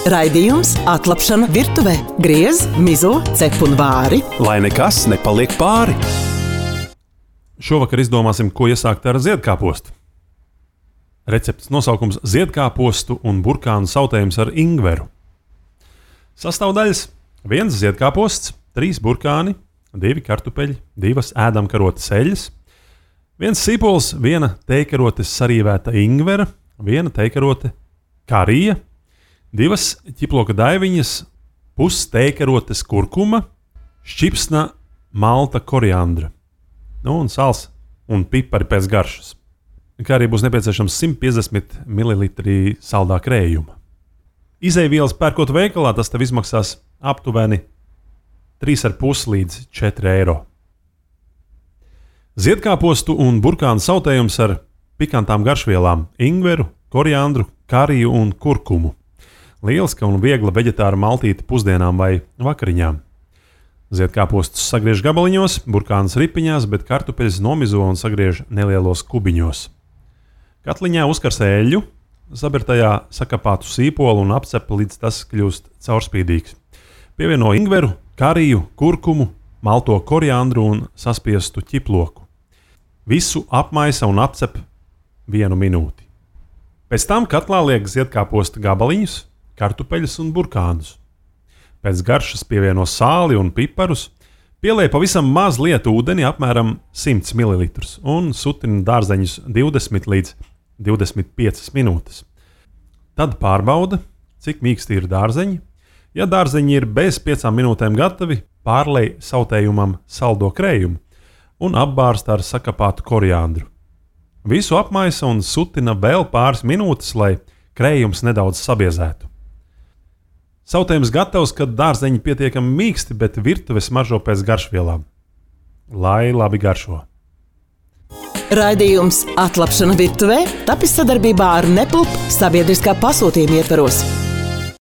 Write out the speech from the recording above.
Raidījums Atlapšana virtuvē. Griez, mizo, cep un vāri. Lai nekas nepaliek pāri. Šovakar izdomāsim, ko iesākt ar ziedkāpostu. Receptes nosaukums – ziedkāpostu un burkānu sautējums ar ingveru. Sastāvdaļas – 1 ziedkāposts, 3 burkāni, 2 kartupeļi, 2 ēdamkarotes eļļas, 1 sīpols, 1 tejkarotes sarīvēta ingvera, 1 tejkarote karija, 2 ķiploka daiviņas, pus tejkarotes kurkuma, šķipsna malta koriandra, un sāls un pipari pēc garšas. Kā arī būs nepieciešams 150 ml saldā krējuma. Izejvielas pērkot veikalā, tas tev izmaksās aptuveni 3,5 līdz 4 eiro. Ziedkāpostu un burkānu sautējums ar pikantām garšvielām – ingveru, koriandru, kariju un kurkumu. Lieliska un viegla veģetāra maltīte pusdienām vai vakariņām. Ziedkāpostus sagriež gabaliņos, burkānus ripiņās, bet kartupeļus nomizo un sagriež nelielos kubiņos. Katliņā uzkarsē eļļu, sabir tajā sakapātu sīpolu un apcep, līdz tas kļūst caurspīdīgs. Pievieno ingveru, kariju, kurkumu, malto koriandru un saspiestu ķiploku. Visu apmaisa un apcep 1 minūti. Pēc tam katlā liek ziedkāposta gabaliņus, kartupeļus un burkānus. Pēc garšas pievieno sāli un piparus, pieliek pavisam maz lietu ūdeni, apmēram 100 ml, un sutina dārzeņus 20 līdz 25 minūtes. Tad pārbauda, cik mīksti ir dārzeņi. Ja dārzeņi ir bez 5 minūtēm gatavi, pārlej sautējumam saldo krējumu un apbārsta ar sakapātu koriandru. Visu apmaisa un sutina vēl pāris minūtes, lai krējums nedaudz sabiezētu. Sautējums gatavs, kad dārzeņi pietiekami mīksti, bet virtuve smaržo pēc garšvielām. Lai labi garšo! Raidījums Atlapšana virtuvē tapis sadarbībā ar Neplup sabiedriskā pasūtījuma ietvaros.